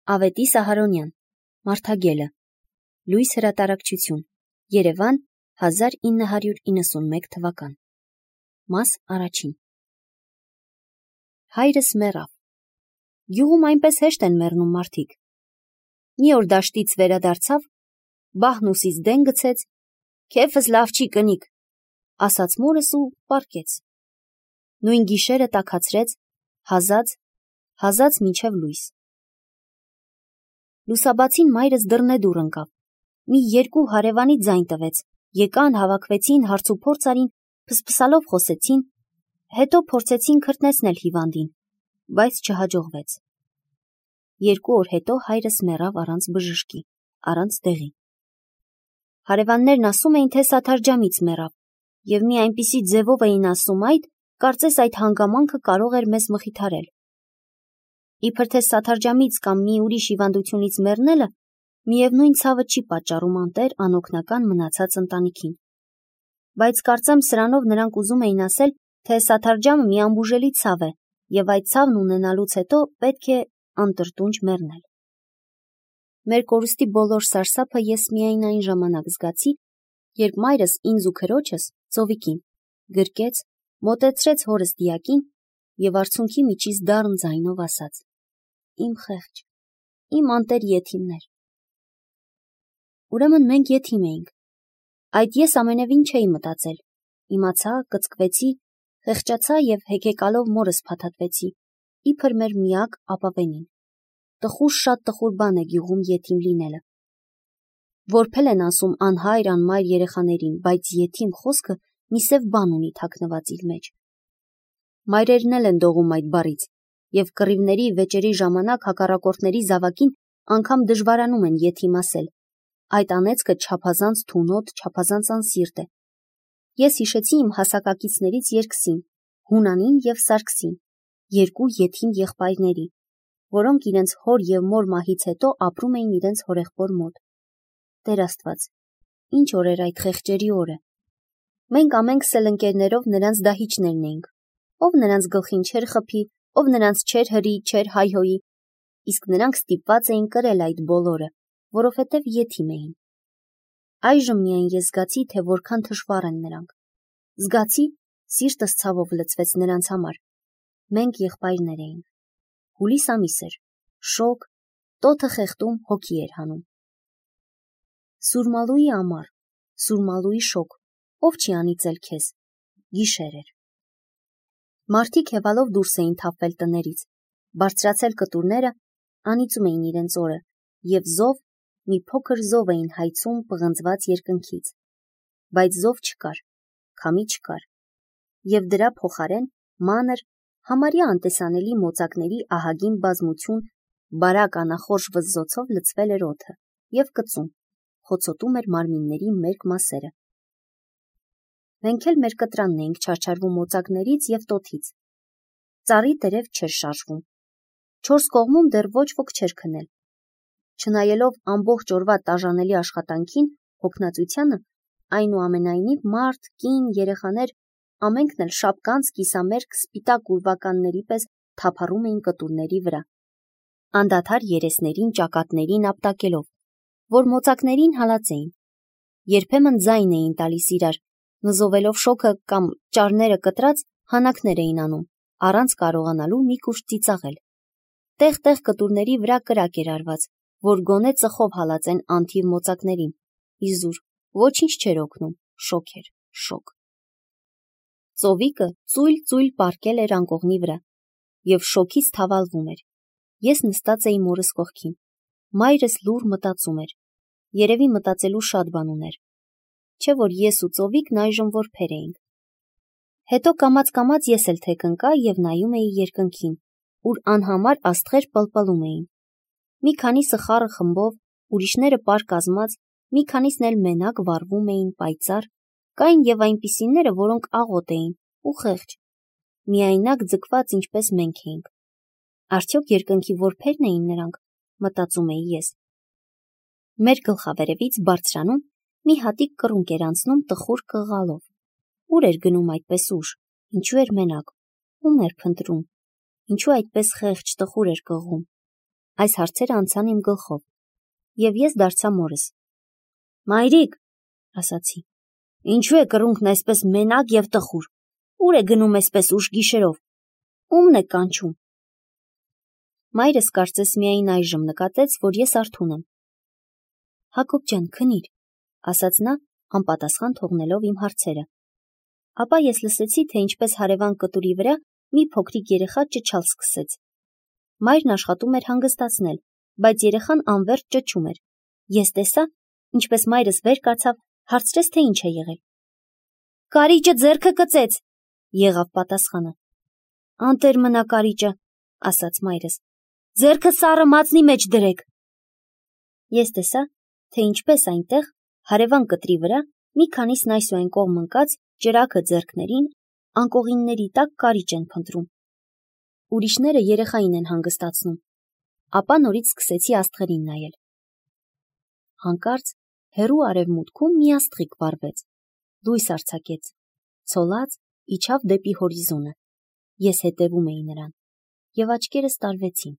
Ավետիս Սահարոնյան, Մարդագելը, Լույս հրատարակչություն, Երևան, 1991 թվական, մաս առաջին։ Հայրս մեռավ։ Գյուղում այնպես հեշտ են մեռնում մարդիկ։ Մի օր դաշտից վերադարձավ, բահն ուսից դեն գցեց, քեֆս լավ չի կնիկ, ասաց մորս ու պառկեց։ Նույն գիշերը տաքացրեց, հազաց մինչև լույս։ Լուսաբացին մայրս դռնեդուռ ընկավ, մի երկու հարևանի ձայն տվեց, եկան, հավաքվեցին, հարցուփորձ արին, փսփսալով խոսեցին, հետո փորձեցին քրտնեցնել հիվանդին, բայց չհաջողվեց։ 2 օր հետո հայրս մեռավ առանց բժշկի, առանց դեղի։ Հարևաններն ասում էին, թե սաթարջամից մեռավ, և մի այնպիսի ձևով էին ասում այդ, կարծես այդ հանգամանքը կարող էր մեզ մխիթարել։ Իբր թե սաթարջամից կամ մի ուրիշ հիվանդությունից մեռնելը միևնույն ցավը չի պատճառում անտեր անօգնական մնացած ընտանիքին։ Բայց կարծեմ սրանով նրանք ուզում էին ասել, թե սաթարջամը մի անբուժելի ցավ է, և այդ ցավն ունենալուց հետո պետք է անտրտունջ մեռնել։ Մեր կորուստի բոլոր սարսափը ես միայն այն ժամանակ զգացի, երբ մայրս ինձ ու քրոջս, ծովիկին, գրկեց, մոտեցրեց հորս դիակին և արցունքի միջից դառն ձայնով ասաց. «Իմ խեղճ, իմ անտեր եթիմներ»։ Ուրեմն մենք եթիմ էինք։ Այդ ես ամենևին չէի մտածել։ Իմացա, կծկվեցի, խեղճացա և հեկեկալով մորս փաթաթվեցի, իբր մեր միակ ապավենին։ Շատ տխուր բան է գյուղում եթիմ լինելը։ Որբել են ասում անհայր, անմայր երեխաներին, բայց եթիմ խոսքը մի սև բան ունի թաքնված իր մեջ։ Մայրերն էլ են դողում այդ բառից, և կռիվների, վեճերի ժամանակ հակառակորդների զավակին անգամ դժվարանում են եթիմ ասել։ Այդ անեծքը չափազանց թունոտ, չափազանց անսիրտ է։ Ես հիշեցի իմ հասակակիցներից երկսին, Հունանին և Սարգսին, 2 եթիմ եղբայրների, որոնք իրենց հոր և մոր մահից հետո ապրում էին իրենց հորեղբոր մոտ։ Տեր Աստված, ինչ օր էր այդ խեղճերի օրը։ Մենք ամենքս էլ ընկերներով նրանց դահիճներն էինք, ով նրանց գլխին չէր խփի, ով նրանց չէր հրի, չէր հայհոյի, իսկ նրանք ստիպված էին կրել այդ բոլորը, որովհետև եթիմ էին։ Այժմ միայն ես զգացի, թե որքան թշվառ են նրանք։ Զգացի, սիրտս ցավով լցվեց նրանց համար։ Մենք եղբայրներ էինք։ Հուլիս ամիս էր, շոգ, տոթը խեղդում հոգի էր հանում։ Սուրմալուի ամառ, Սուրմալուի շոգ, ով չի անիծել քեզ, գիշեր էր։ Մարդիկ հևալով դուրս էին թափվել տներից, բարձրացել կտուրները, անիծում էին իրենց օրը, և զով, մի փոքր զով էին հայցում պղնձված երկնքից։ Բայց զով չկար, քամի չկար, և դրա փոխարեն մանր, համարյա անտեսանելի մոծակների ահագին բազմություն բարակ անախորժ վզզոցով լցվել էր օդը և կծում, խոցոտում էր մարմինների մերկ մասերը։ Մենք էլ մեր կտրանն էինք չարչարվում մոծակներից և տոթից։ Ծառի տերև չէր շարժվում։ 4 կողմում դեռ ոչ ոք չէր քնել։ Չնայելով ամբողջ օրվա տաժանելի աշխատանքին, հոգնածությանը, այնուամենայնիվ մարդ, կին, երեխաներ ամենքն էլ շապկանց, կիսամերկ, սպիտակ ուրվականների պես թափառում էին կտուրների վրա, անդադար երեսներին, ճակատներին ապտակելով, որ մոծակներին հալածեին։ Երբեմն ձայն էին տալիս իրար, նզովելով շոգը կամ ճարները կտրած հանակներ էին անում, առանց կարողանալու մի կուշտ ծիծաղել։ Տեղ-տեղ կտուրների վրա կրակ էր արված, որ գոնե ծխով հալածեն անթիվ մոծակներին։ Իզուր, ոչինչ չէր օգնում, շոգ էր, շոգ։ Ծովիկը ծույլ պառկել էր անկողնի վրա և շոգից թավալվում էր։ Ես նստած էի մորս կողքին։ Մայրս լուռ մտածում էր։ Երևի մտածելու շատ բան ուներ։ Չէ որ ես ու ծովիկն այժմ որբեր էինք։ Հետո կամաց-կամաց ես էլ թեք ընկա և նայում էի երկնքին, ուր անհամար աստղեր պլպլում էին։ Մի քանիսը խառը խմբով, ուրիշները պար կազմած, մի քանիսն էլ մենակ վառվում էին պայծառ, կային և այնպիսիները, որոնք աղոտ էին ու խեղճ, միայնակ ձգված ինչպես մենք էինք։ Արդյոք երկնքի որբե՞րն էին նրանք, մտածում էի ես։ Մեր գլխավերևից բարձրանում մի հատիկ կռունկ էր անցնում տխուր կղալով։ Ուր էր գնում այդպես ուշ, ինչու էր մենակ, ում էր փնտրում, ինչու այդպես խեղճ տխուր էր կղում։ Այս հարցերը անցան իմ գլխով, և ես դարձա մորս։ Մայրիկ, ասացի, ինչու է կռունկն այսպես մենակ և տխուր, ուր է գնում այսպես ուշ գիշերով, ումն է կանչում։ Մայրս կարծես միայն այժմ նկատեց, որ ես արթուն եմ։ Հակոբ ջան, քնիր, ասաց նա, անպատասխան թողնելով իմ հարցերը։ Ապա ես լսեցի, թե ինչպես հարևան կտուրի վրա մի փոքրիկ երեխա ճչալ սկսեց։ Մայրն աշխատում էր հանգստացնել, բայց երեխան անվերջ ճչում էր։ Ես տեսա, ինչպես մայրս վեր կացավ, հարցրեց, թե ինչ է եղել։ Կարիճը ձեռքը կծեց, եղավ պատասխանը։ Անտեր մնա կարիճը, ասաց մայրս։ Ձեռքը սառը մածնի մեջ դրեք։ Ես տեսա, թե ինչպես այնտեղ, հարևան կտրի վրա, մի քանիսն այսուհեն կողմ ընկած, ճրագը ձեռքներին, անկողինների տակ կարիճ են փնտրում։ Ուրիշները երեխային են հանգստացնում։ Ապա նորից սկսեցի աստղերին նայել։ Հանկարծ հեռու արևմուտքում մի աստղիկ վառվեց, լույս արձակեց, ցոլած իջավ դեպի հորիզոնը։ Ես հետևում էի նրան, և աչքերս տարվեցին։